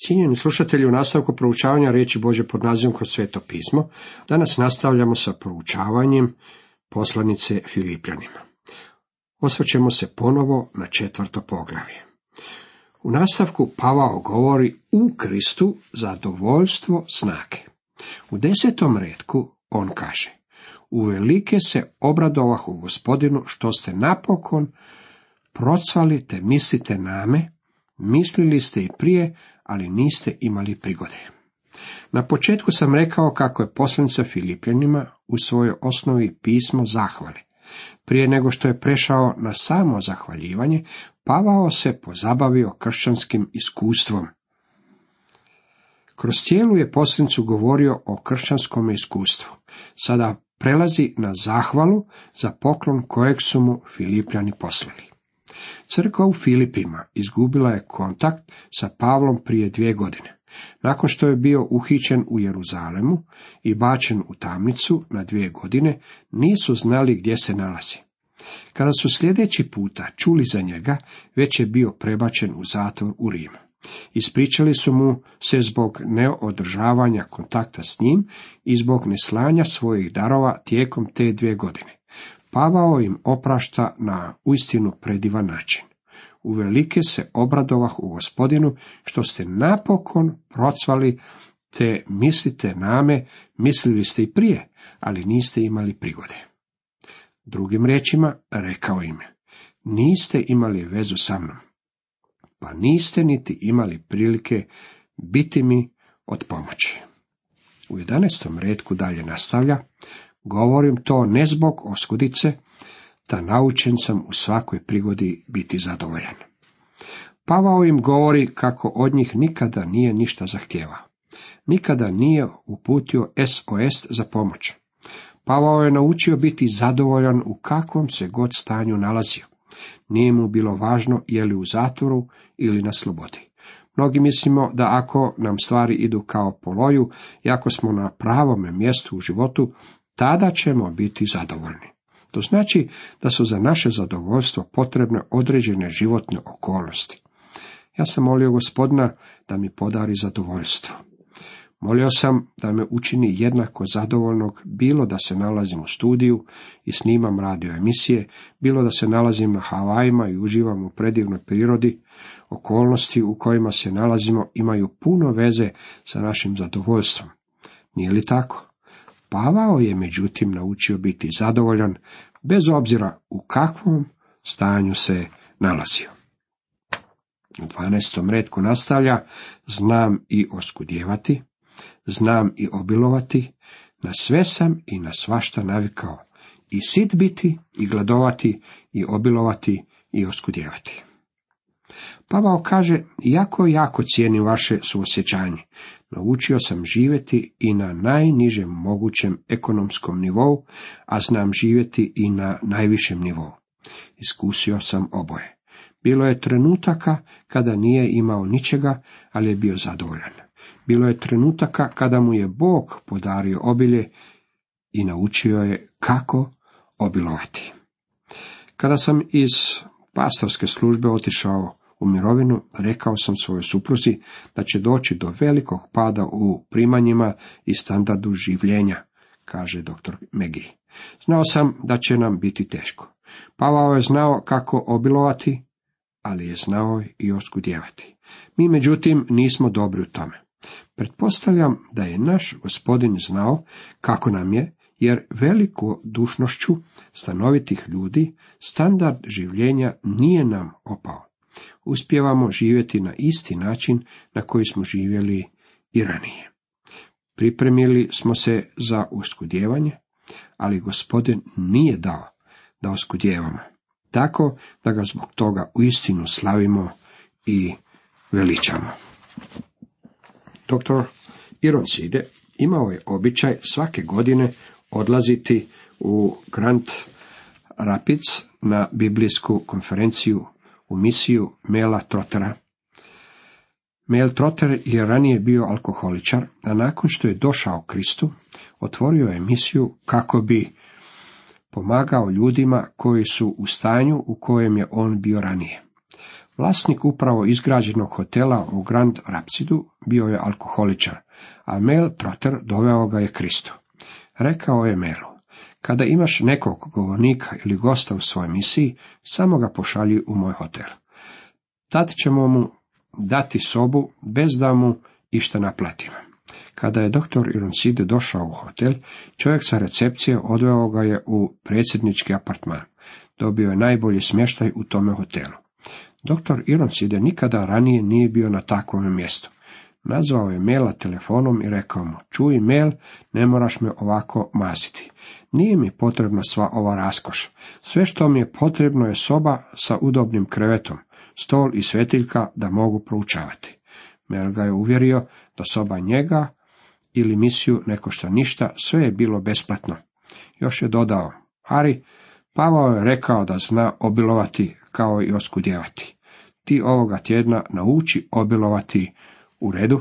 Cijenjeni slušatelji, u nastavku proučavanja riječi Božje pod nazivom Kroz Sveto pismo, danas nastavljamo sa proučavanjem poslanice Filipljanima. Osvrćemo se ponovo na 4. poglavlje. U nastavku Pavao govori u Kristu zadovoljstvo snage. U 10. retku on kaže: uvelike se obradovah u Gospodinu što ste napokon procvali te mislite name, mislili ste i prije, ali niste imali prigode. Na početku sam rekao kako je poslanica Filipljanima u svojoj osnovi pismo zahvale. Prije nego što je prešao na samo zahvaljivanje, Pavao se pozabavio kršćanskim iskustvom. Kroz cijelu je poslanicu govorio o kršćanskom iskustvu. Sada prelazi na zahvalu za poklon kojeg su mu Filipljani poslali. Crkva u Filipima izgubila je kontakt sa Pavlom prije 2 godine. Nakon što je bio uhićen u Jeruzalemu i bačen u tamnicu na 2 godine, nisu znali gdje se nalazi. Kada su sljedeći puta čuli za njega, već je bio prebačen u zatvor u Rimu. Ispričali su mu se zbog neodržavanja kontakta s njim i zbog neslanja svojih darova tijekom te 2 godine. Pavao im oprašta na uistinu predivan način. Uvelike se obradovah u Gospodinu što ste napokon procvali te mislite name, mislili ste i prije, ali niste imali prigode. Drugim riječima rekao im: niste imali vezu sa mnom, pa niste niti imali prilike biti mi od pomoći. U 11. retku dalje nastavlja: govorim to ne zbog oskudice, ta naučen sam u svakoj prigodi biti zadovoljan. Pavao im govori kako od njih nikada nije ništa zahtijevao. Nikada nije uputio SOS za pomoć. Pavao je naučio biti zadovoljan u kakvom se god stanju nalazio. Nije mu bilo važno je li u zatvoru ili na slobodi. Mnogi mislimo da ako nam stvari idu kao po loju i ako smo na pravome mjestu u životu, tada ćemo biti zadovoljni. To znači da su za naše zadovoljstvo potrebne određene životne okolnosti. Ja sam molio Gospodina da mi podari zadovoljstvo. Molio sam da me učini jednako zadovoljnog, bilo da se nalazim u studiju i snimam radio emisije, bilo da se nalazim na Havajima i uživam u predivnoj prirodi. Okolnosti u kojima se nalazimo imaju puno veze sa našim zadovoljstvom. Nije li tako? Pavao je međutim naučio biti zadovoljan bez obzira u kakvom stanju se nalazio. U 12. retku nastavlja: znam i oskudjevati, znam i obilovati, na sve sam i na svašta navikao, i sit biti, i gladovati, i obilovati, i oskudjevati. Pavao kaže: jako cijenim vaše suosjećanje. Naučio sam živjeti i na najnižem mogućem ekonomskom nivou, a znam živjeti i na najvišem nivou. Iskusio sam oboje. Bilo je trenutaka kada nije imao ničega, ali je bio zadovoljan. Bilo je trenutaka kada mu je Bog podario obilje i naučio je kako obilovati. Kada sam iz pastorske službe otišao u mirovinu, rekao sam svojoj supruzi da će doći do velikog pada u primanjima i standardu življenja, kaže dr. Megi. Znao sam da će nam biti teško. Pavao je znao kako obilovati, ali je znao i oskudjevati. Mi međutim nismo dobri u tome. Pretpostavljam da je naš Gospodin znao kako nam je, jer velikodušnošću stanovitih ljudi standard življenja nije nam opao. Uspijevamo živjeti na isti način na koji smo živjeli i ranije. Pripremili smo se za oskudjevanje, ali Gospodin nije dao da oskudjevamo, tako da ga zbog toga uistinu slavimo i veličamo. Dr. Ironside imao je običaj svake godine odlaziti u Grand Rapids na biblijsku konferenciju u misiju Mela Trottera. Mel Trotter je ranije bio alkoholičar, a nakon što je došao Kristu, otvorio je misiju kako bi pomagao ljudima koji su u stanju u kojem je on bio ranije. Vlasnik upravo izgrađenog hotela u Grand Rapsidu bio je alkoholičar, a Mel Trotter doveo ga je Kristu. Rekao je Melu: kada imaš nekog govornika ili gosta u svojoj misiji, samo ga pošalji u moj hotel. Tad ćemo mu dati sobu bez da mu išta naplatimo. Kada je dr. Ironside došao u hotel, čovjek sa recepcije odveo ga je u predsjednički apartman. Dobio je najbolji smještaj u tome hotelu. Dr. Ironside nikada ranije nije bio na takvom mjestu. Nazvao je Mela telefonom i rekao mu: čuj Mel, ne moraš me ovako maziti. Nije mi potrebna sva ova raskoš. Sve što mi je potrebno je soba sa udobnim krevetom, stol i svetiljka da mogu proučavati. Mel ga je uvjerio da soba njega ili misiju ne košta ništa, sve je bilo besplatno. Još je dodao: Harry, Pavao je rekao da zna obilovati kao i oskudjevati. Ti ovoga tjedna nauči obilovati. U redu.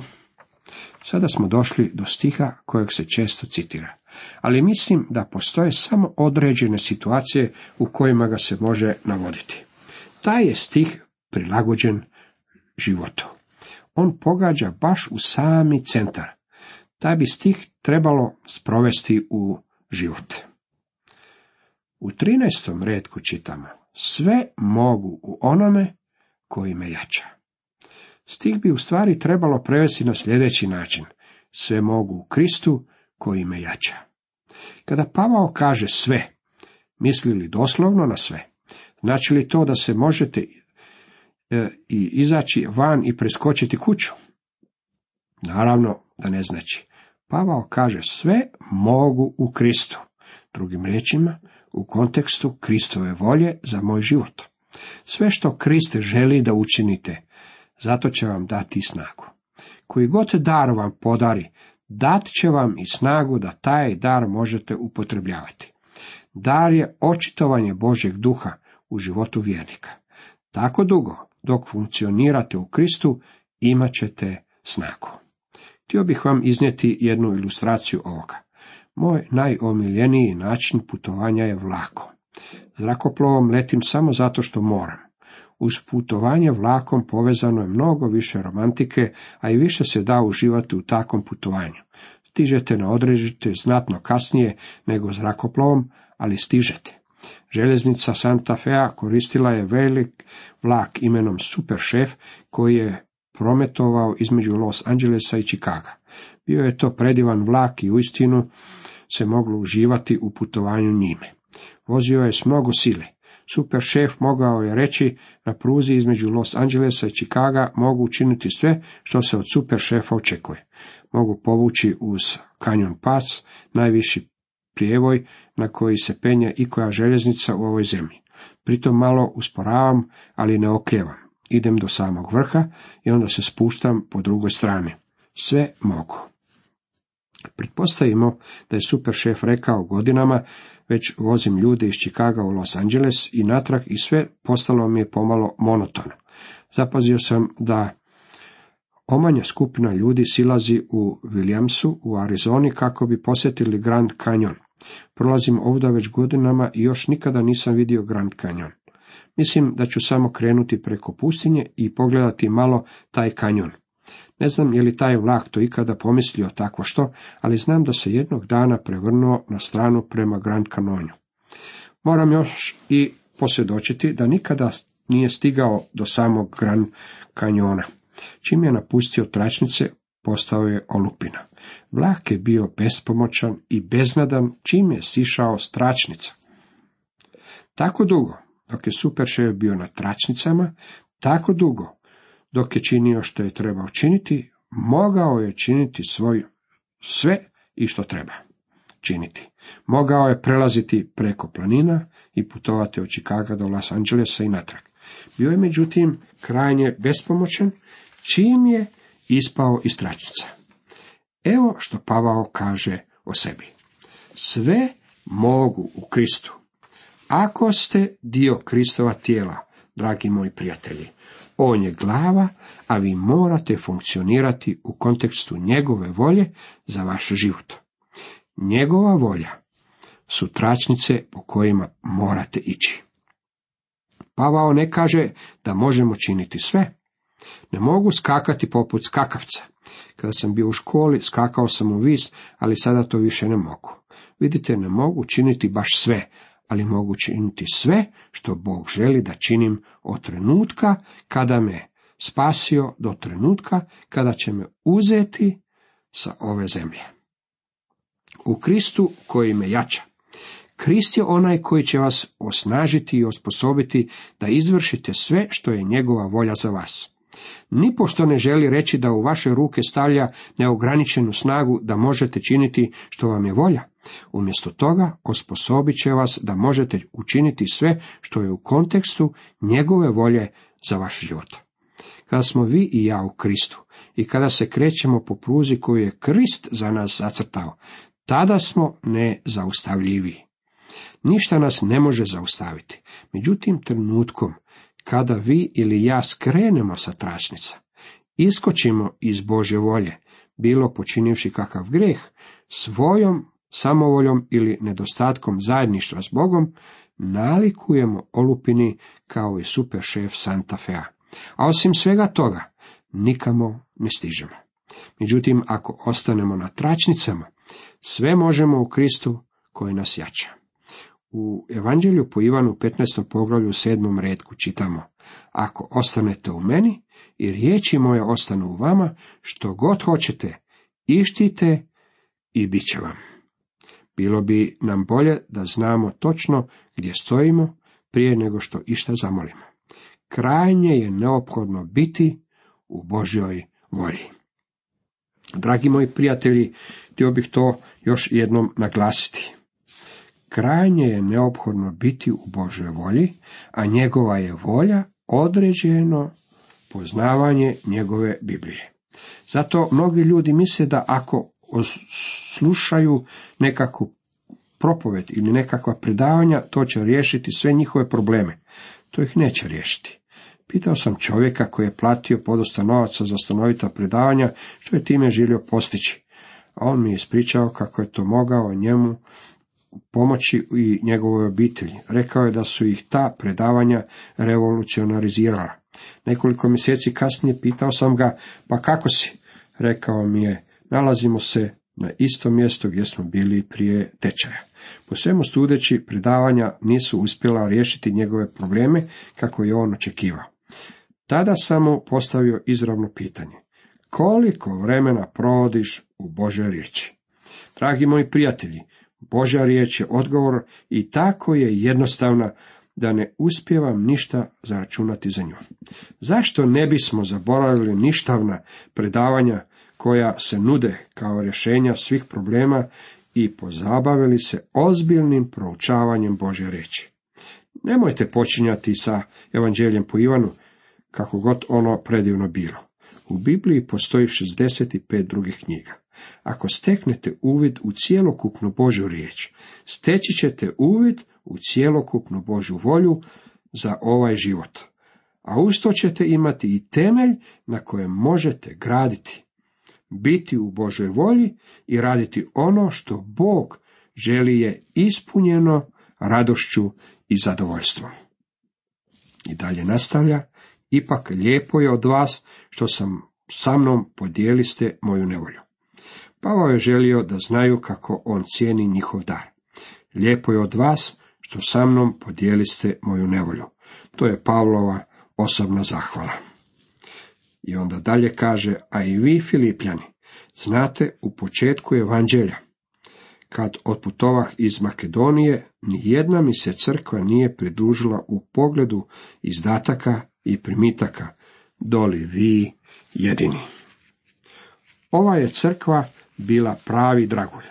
Sada smo došli do stiha kojeg se često citira, ali mislim da postoje samo određene situacije u kojima ga se može navoditi. Taj je stih prilagođen životu. On pogađa baš u sami centar. Taj bi stih trebalo sprovesti u život. U 13. retku čitamo: sve mogu u onome koji me jača. Stih bi u stvari trebalo prevesti na sljedeći način: sve mogu u Kristu koji me jača. Kada Pavao kaže sve, misli li doslovno na sve? Znači li to da se možete i izaći van i preskočiti kuću? Naravno da ne znači. Pavao kaže sve mogu u Kristu. Drugim riječima, u kontekstu Kristove volje za moj život. Sve što Krist želi da učinite, zato će vam dati snagu. Koji god dar vam podari, dat će vam i snagu da taj dar možete upotrebljavati. Dar je očitovanje Božjeg duha u životu vjernika. Tako dugo, dok funkcionirate u Kristu, imat ćete snagu. Htio bih vam iznijeti jednu ilustraciju ovoga. Moj najomiljeniji način putovanja je vlakom. Zrakoplovom letim samo zato što moram. Uz putovanje vlakom povezano je mnogo više romantike, a i više se da uživati u takvom putovanju. Stižete na odredište znatno kasnije nego zrakoplovom, ali stižete. Željeznica Santa Fea koristila je velik vlak imenom Super Chef koji je prometovao između Los Angelesa i Chicaga. Bio je to predivan vlak i uistinu se moglo uživati u putovanju njime. Vozio je s mnogo sile. Super Chef mogao je reći: na pruzi između Los Angelesa i Chicaga mogu učiniti sve što se od Super Chefa očekuje. Mogu povući uz Canyon Pass, najviši prijevoj na koji se penje ikoja željeznica u ovoj zemlji. Pritom malo usporavam, ali ne okljevam. Idem do samog vrha i onda se spuštam po drugoj strani. Sve mogu. Pretpostavimo da je Super Chef rekao: godinama već vozim ljude iz Chicaga u Los Angeles i natrag i sve postalo mi je pomalo monotono. Zapazio sam da omanja skupina ljudi silazi u Williamsu u Arizoni kako bi posjetili Grand Canyon. Prolazim ovdje već godinama i još nikada nisam vidio Grand Canyon. Mislim da ću samo krenuti preko pustinje i pogledati malo taj kanjon. Ne znam je li taj vlak to ikada pomislio takvo što, ali znam da se jednog dana prevrnuo na stranu prema Grand Canyonu. Moram još i posvjedočiti da nikada nije stigao do samog Grand Canyona. Čim je napustio tračnice, postao je olupina. Vlak je bio bespomoćan i beznadan čim je sišao s tračnica. Tako dugo dok je Super Chef bio na tračnicama, tako dugo dok je činio što je trebao činiti, mogao je činiti sve i što treba činiti. Mogao je prelaziti preko planina i putovati od Chicaga do Los Angelesa i natrag. Bio je međutim krajnje bespomoćan čim je ispao iz tračnica. Evo što Pavao kaže o sebi. Sve mogu u Kristu. Ako ste dio Kristova tijela, dragi moji prijatelji, on je glava, a vi morate funkcionirati u kontekstu njegove volje za vaš život. Njegova volja su tračnice po kojima morate ići. Pavao ne kaže da možemo činiti sve. Ne mogu skakati poput skakavca. Kada sam bio u školi, skakao sam u vis, ali sada to više ne mogu. Vidite, ne mogu činiti baš sve, ali mogu činiti sve što Bog želi da činim od trenutka kada me spasio do trenutka kada će me uzeti sa ove zemlje. U Kristu koji me jača. Krist je onaj koji će vas osnažiti i osposobiti da izvršite sve što je njegova volja za vas. Nipošto ne želi reći da u vaše ruke stavlja neograničenu snagu da možete činiti što vam je volja. Umjesto toga osposobit će vas da možete učiniti sve što je u kontekstu njegove volje za vaš život. Kada smo vi i ja u Kristu i kada se krećemo po pruzi koju je Krist za nas zacrtao, tada smo nezaustavljivi. Ništa nas ne može zaustaviti. Međutim, trenutkom kada vi ili ja skrenemo sa tračnica, iskočimo iz Božje volje, bilo počinivši kakav grijeh, svojom samovoljom ili nedostatkom zajedništva s Bogom, nalikujemo olupini kao i super šef Santa Fea. A osim svega toga, nikamo ne stižemo. Međutim, ako ostanemo na tračnicama, sve možemo u Kristu koji nas jača. U Evanđelju po Ivanu 15. poglavlju 7. retku čitamo: Ako ostanete u meni i riječi moje ostanu u vama, što god hoćete, ištite i bit će vam. Bilo bi nam bolje da znamo točno gdje stojimo prije nego što išta zamolimo. Krajnje je neophodno biti u Božjoj volji. Dragi moji prijatelji, htio bih to još jednom naglasiti. Krajnje je neophodno biti u Božjoj volji, a njegova je volja određeno poznavanje njegove Biblije. Zato mnogi ljudi misle da ako slušaju nekakvu propoved ili nekakva predavanja, to će riješiti sve njihove probleme. To ih neće riješiti. Pitao sam čovjeka koji je platio podosta novaca za stanovita predavanja, što je time želio postići. A on mi je ispričao kako je to mogao njemu pomoći i njegovoj obitelji. Rekao je da su ih ta predavanja revolucionarizirala. Nekoliko mjeseci kasnije pitao sam ga: pa kako si? Rekao mi je: nalazimo se na istom mjestu gdje smo bili prije tečaja. Po svemu sudeći, predavanja nisu uspjela riješiti njegove probleme kako je on očekivao. Tada sam mu postavio izravno pitanje: koliko vremena provodiš u Božjoj riječi? Dragi moji prijatelji, Božja riječ je odgovor i tako je jednostavna da ne uspijevam ništa zaračunati za nju. Zašto ne bismo zaboravili ništavna predavanja koja se nude kao rješenja svih problema i pozabavili se ozbiljnim proučavanjem Božje riječi? Nemojte počinjati sa Evanđeljem po Ivanu, kako god ono predivno bilo. U Bibliji postoji 65 drugih knjiga. Ako steknete uvid u cjelokupnu Božju riječ, steći ćete uvid u cjelokupnu Božju volju za ovaj život. A uz to ćete imati i temelj na kojem možete graditi, biti u Božoj volji i raditi ono što Bog želi je ispunjeno radošću i zadovoljstvom. I dalje nastavlja: ipak lijepo je od vas što sa mnom podijeliste moju nevolju. Pavao je želio da znaju kako on cijeni njihov dar. Lijepo je od vas što sa mnom podijeliste moju nevolju. To je Pavlova osobna zahvala. I onda dalje kaže: a i vi, Filipljani, znate u početku evanđelja, kad otputovah iz Makedonije, nijedna mi se crkva nije pridružila u pogledu izdataka i primitaka, doli vi jedini. Ova je crkva bila pravi dragulj.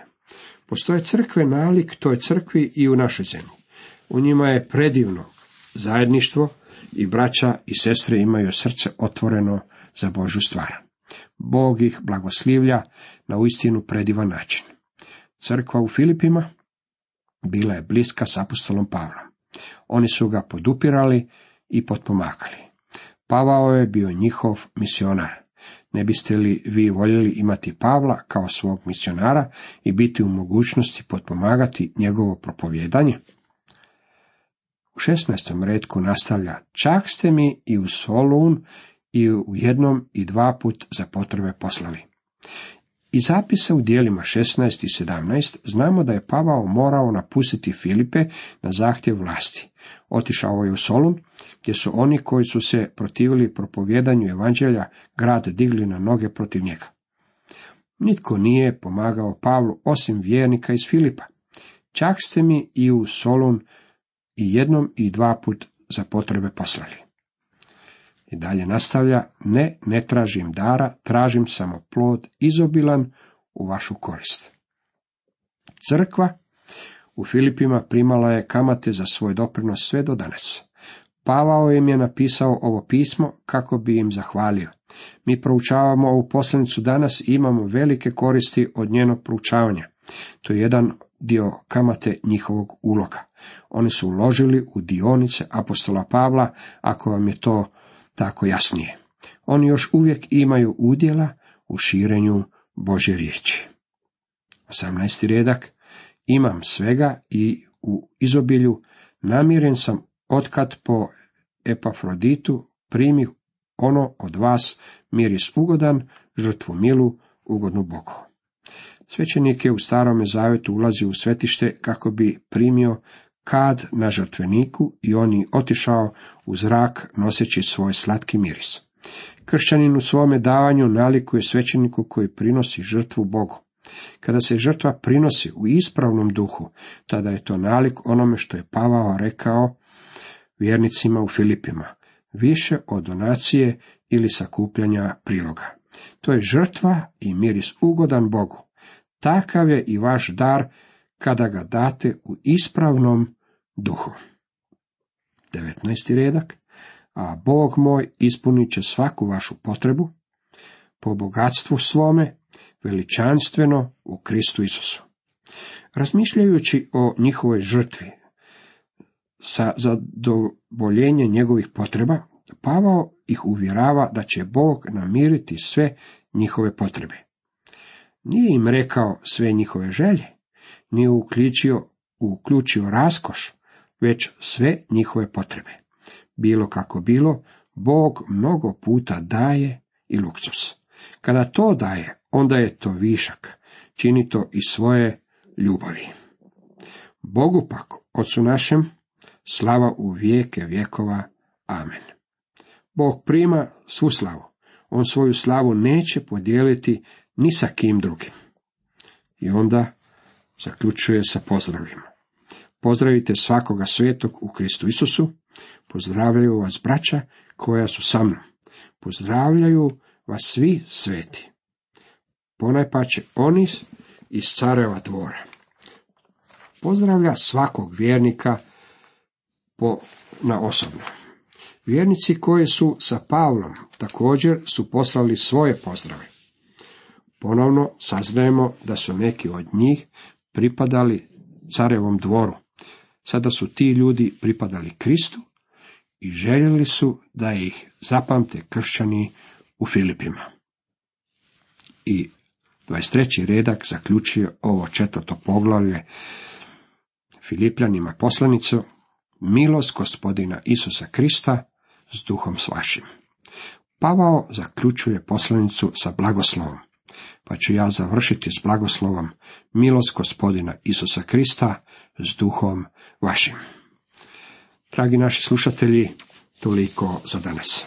Postoje crkve nalik toj crkvi i u našoj zemlji. U njima je predivno zajedništvo i braća i sestre imaju srce otvoreno za Božju stvar. Bog ih blagoslivlja na uistinu predivan način. Crkva u Filipima bila je bliska s apostolom Pavlom. Oni su ga podupirali i potpomagali. Pavao je bio njihov misionar. Ne biste li vi voljeli imati Pavla kao svog misionara i biti u mogućnosti potpomagati njegovo propovijedanje? U 16. retku nastavlja: čak ste mi i u Solun i u jednom i dva put za potrebe poslali. Iz zapisa u dijelima 16 i 17 znamo da je Pavao morao napustiti Filipe na zahtjev vlasti. Otišao je u Solun, gdje su oni koji su se protivili propovjedanju evanđelja grad digli na noge protiv njega. Nitko nije pomagao Pavlu osim vjernika iz Filipa. Čak ste mi i u Solun i jednom i dva put za potrebe poslali. I dalje nastavlja: ne tražim dara, tražim samo plod izobilan u vašu korist. Crkva u Filipima primala je kamate za svoj doprinos sve do danas. Pavao im je napisao ovo pismo kako bi im zahvalio. Mi proučavamo ovu poslanicu danas i imamo velike koristi od njenog proučavanja. To je jedan dio kamate njihovog uloga. Oni su uložili u dionice apostola Pavla, ako vam je to tako jasnije. Oni još uvijek imaju udjela u širenju Božje riječi. 18. redak: imam svega i u izobilju, namiren sam otkad po Epafroditu primi ono od vas, miris ugodan, žrtvu milu, ugodnu Bogu. Svećenik je u Starome zavjetu ulazio u svetište kako bi primio kad na žrtveniku i on je otišao u zrak noseći svoj slatki miris. Kršćanin u svome davanju nalikuje svećeniku koji prinosi žrtvu Bogu. Kada se žrtva prinosi u ispravnom duhu, tada je to nalik onome što je Pavao rekao vjernicima u Filipima: više od donacije ili sakupljanja priloga. To je žrtva i miris ugodan Bogu. Takav je i vaš dar kada ga date u ispravnom duhu. 19. redak: a Bog moj ispunit će svaku vašu potrebu po bogatstvu svome, veličanstveno u Kristu Isusu. Razmišljajući o njihovoj žrtvi sa zadovoljenje njegovih potreba, Pavao ih uvjerava da će Bog namiriti sve njihove potrebe. Nije im rekao sve njihove želje, nije uključio raskoš, već sve njihove potrebe. Bilo kako bilo, Bog mnogo puta daje i luksus. Kada to daje, onda je to višak, čini to iz svoje ljubavi. Bogu pak, Otcu našem, slava u vijeke vjekova. Amen. Bog prima svu slavu. On svoju slavu neće podijeliti ni sa kim drugim. I onda zaključuje sa pozdravima. Pozdravite svakoga svetog u Kristu Isusu. Pozdravljaju vas braća koja su sa mnom. Pozdravljaju vas svi sveti. Ponajpače oni iz careva dvora. Pozdravlja svakog vjernika na osobno. Vjernici koji su sa Pavlom također su poslali svoje pozdrave. Ponovno saznajemo da su neki od njih pripadali carevom dvoru. Sada su ti ljudi pripadali Kristu i željeli su da ih zapamte kršćani u Filipima. I 23. redak zaključuje ovo 4. poglavlje Filipljanima poslanicu: milost Gospodina Isusa Krista s duhom s vašim. Pavao zaključuje poslanicu sa blagoslovom, pa ću ja završiti s blagoslovom: milost Gospodina Isusa Krista s duhom vašim. Dragi naši slušatelji, toliko za danas.